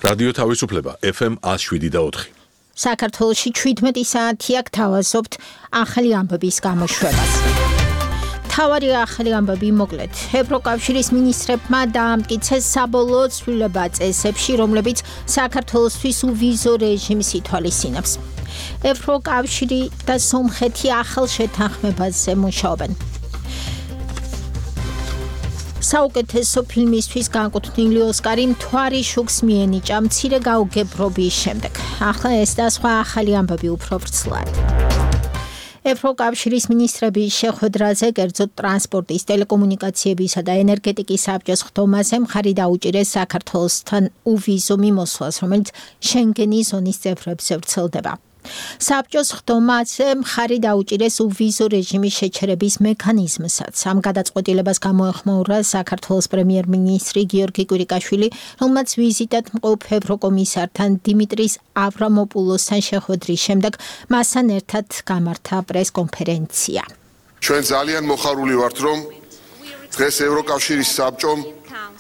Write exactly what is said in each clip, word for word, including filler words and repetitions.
რადიო თავისუფლება ეფ ემ one oh seven და four. საქართველოში შვიდმეტი საათი აქ თავაზობთ ახალი ამბების გამოშვებას. თავარი ახალი ამბები მოკლედ. ევროკავშირის მინისტრებმა დაამტკიცეს საბოლოო ცვლილება წესებში, რომლებიც საქართველოსთვის უვიზო რეჟიმს ითვალისწინებს. ევროკავშირი და სომხეთი ახალ შეთანხმებაზე მუშაობენ. საუკეთესო ფილმისთვის განკუთვნილი ოსკარი მთვარი შუქს მიენიჭა მცირე გაუგებრობის შემდეგ. ახლა ეს და სხვა ახალი ამბები უფრო ვრცლად. ევროკავშირის მინისტრების შეხვედრაზე კერძოდ ტრანსპორტის, ტელეკომუნიკაციებისა და ენერგეტიკის საბჭოს ხდომაზე მხარი დაუჭირეს საქართველოსთან უვიზო მიმოსვლას, რომელიც შენგენის ზონის წევრებზე ვრცელდება. საბჭოს ხდომაზე მხარი დაუჭირეს უვიზო რეჟიმის შეჩერების მექანიზმსაც. ამ გადაწყვეტილებას გამოეხმაურა საქართველოს პრემიერ-მინისტრი გიორგი კვირიკაშვილი, რომელმაც ვიზიტად მყოფ ევროკომისართან დიმიტრის ავრამოპულოსთან შეხვედრის შემდეგ მასთან ერთად გამართა პრესკონფერენცია. ჩვენ ძალიან მოხარული ვართ, რომ დღეს ევროკავშირის საბჭომ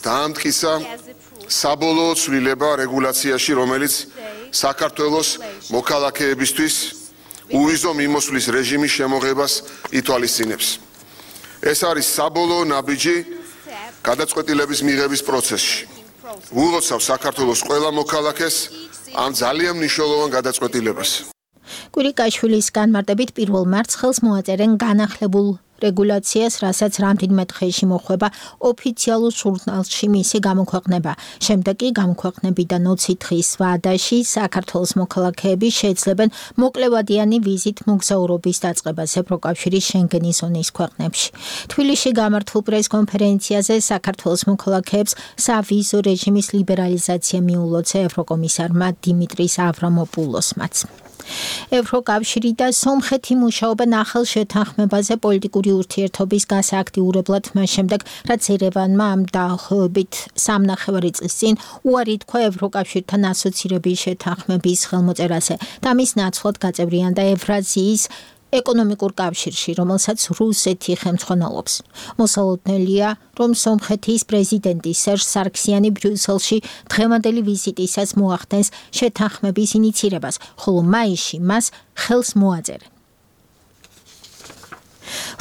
დაამტკიცა საბოლოო ცვლილება რეგულაციაში, რომელიც საქართველოს მოქალაქეებისთვის უვიზო მიმოსვლის რეჟიმის შემოღებას ითვალისწინებს. ეს არის საბოლოო ნაბიჯი გადაწყვეტილების მიღების პროცესში. ვულოცავ საქართველოს ყველა მოქალაქეს ამ ძალიან მნიშვნელოვან გადაწყვეტილებას. კვირიკაშვილის განმარტებით პირველ მარტს მოაწერენ განახლებულ რეგულაციას, რასაც რამდენიმე დღეში მოხვება ოფიციალურ ჟურნალში მისი გამოქვეყნება. შემდეგ კი გამოქვეყნებიდან ოცი დღის ვადაში საქართველოს მოქალაქეები შეეძლებენ მოკლევადიანი ვიზით მოგზაურობის დაწყებას ევროკავშირის შენგენის ზონის ქვეყნებში. თბილისში გამართულ პრესკონფერენციაზე საქართველოს მოქალაქეებს სავიზო რეჟიმის ლიბერალიზაცია მიულოცა ევროკომისარმა დიმიტრის ავრამოპულოსმაც. ევროკავშირი და სომხეთი მუშაობენ ახალ შეთანხმებაზე პოლიტიკური ურთიერთობის გასააქტიურებლად მას შემდეგ, რაც ერევანმა ამ დაახლოებით სამნახევარი წლის წინ უარი თქვა ევროკავშირთან ასოცირების შეთანხმების ხელმოწერაზე და მის ნაცვლად გაწევრიანდა ევრაზიის ეკონომიკურ კავშირში, რომელსაც რუსეთი ხელმძღვანელობს. მოსალოდნელია, რომ სომხეთის პრეზიდენტი სერჟ სარქსიანი ბრიუსელში დღევანდელი ვიზიტისას მოახდენს შეთანხმების ინიცირებას, ხოლო მაისში მას ხელს მოაწერენ.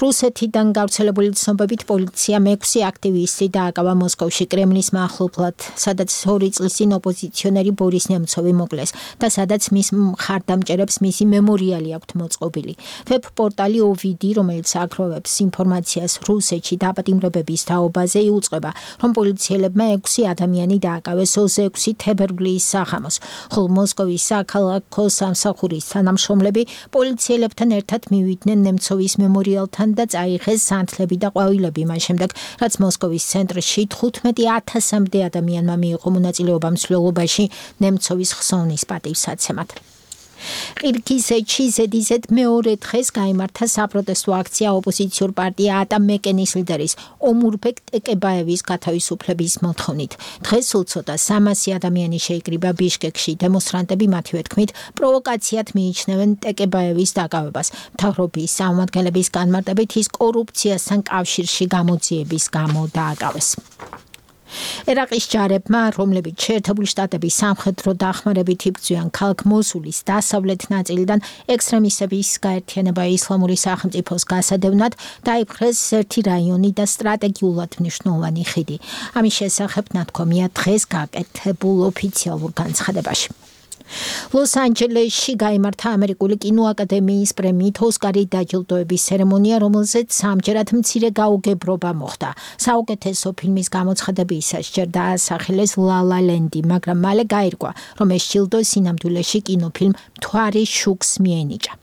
რუსეთიდან გავრცელებული ცნობებით პოლიციამ ექვსი აქტივისტი დააკავა მოსკოვში კრემლის მახლობლად, სადაც ორი წლის წინ ოპოზიციონერი ბორის ნემცოვი მოკლეს და სადაც მის მხარდამჭერებს მისი მემორიალი აქვთ მოწყობილი. ვებ პორტალი ოვიდი, რომელიც აგროვებს ინფორმაციას რუსეთში დაპატიმრებების თაობაზე, იუწყება, რომ პოლიციელებმა ექვსი ადამიანი დააკავეს ოცდაექვსი თებერვლის საღამოს, ხოლო მოსკოვის საქალაქო სამსახურის თანამშრომლები პოლიციელებთან ერთად მივიდნენ ნემცოვის მემორიალთან და წაიღეს სანთლები და ყვავილები მას შემდეგ, რაც მოსკოვის ცენტრში თხუთმეტი ათასამდე ადამიანმა მიიღო მონაწილეობა მსვლელობაში ნემცოვის ხსოვნის პატივსაცემად. ყირგიზეთში ზედიზედ მეორე დღეს გაიმართა საპროტესტო აქცია ოპოზიციურ პარტია ატამეკენის ლიდერის ომურბეკ ტეკებაევის გათავისუფლების მოთხოვნით. დღეს უცოტა სამასი ადამიანი შეიკრიბა ბიშკეკში. დემონსტრანტები მათივე თქმით პროვოკაციად მიიჩნევენ ტეკებაევის დაკავებას. მთავრობის წარმომადგენლების განმარტებით ის კორუფციასთან კავშირში გამოძიების გამო დააკავეს. ერაყის ჯარებმა, რომლებიც შეერთებული შტატების სამხედრო დახმარებით იბრძვიან ქალაქ მოსულის დასავლეთ ნაწილიდან ექსტრემისტების გაერთიანება ისლამური სახელმწიფოს გასადევნად, დაიპყრეს ერთი რაიონი და სტრატეგიულად მნიშვნელოვანი ხიდი. ამის შესახებ ნათქვამია დღეს გაკეთებულ ოფიციალურ განცხადებაში. ლოს-ანჯელესში გაიმართა ამერიკული კინოაკადემიის პრემიით ოსკარი დაჯილდოების ცერემონია, რომელზეც სამჯერად მცირე გაუგებრობა მოხდა. საუკეთესო ფილმის გამოცხადებისას ჯერ დაასახელეს ლა ლა ლენდი, მაგრამ მალე გაირკვა, რომ ეს ჯილდო სინამდვილეში კინოფილმ მთვარი შუქს მიენიჭა.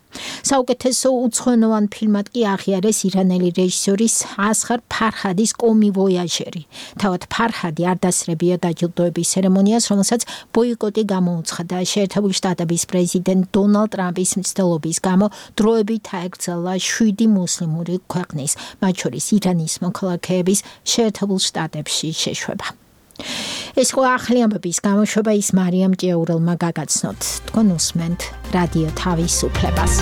საუკეთესო უცხოენოვან ფილმად კი აღიარეს ირანელი რეჟისორის ასღარ ფარჰადის კომი ვოიაჟერი. თავად ფარჰადი არ დასწრებია დაჯილდოების ცერემონიას, რომელსაც ბოიკოტი გამოუცხადა შეერთებული შტატების პრეზიდენტ დონალდ ტრამპის მცდელობის გამო დროებით აეკრძალა შვიდი მუსლიმური ქვეყნის, მათ შორის ირანის მოქალაქეების შეერთებულ შტატებში შეშვება. ეს ხო ახალი ამბების გამოშვება ის მარიამ ჭიაურელმა გაგაცნოთ. თქვენ უსმენთ რადიო თავისუფლებას.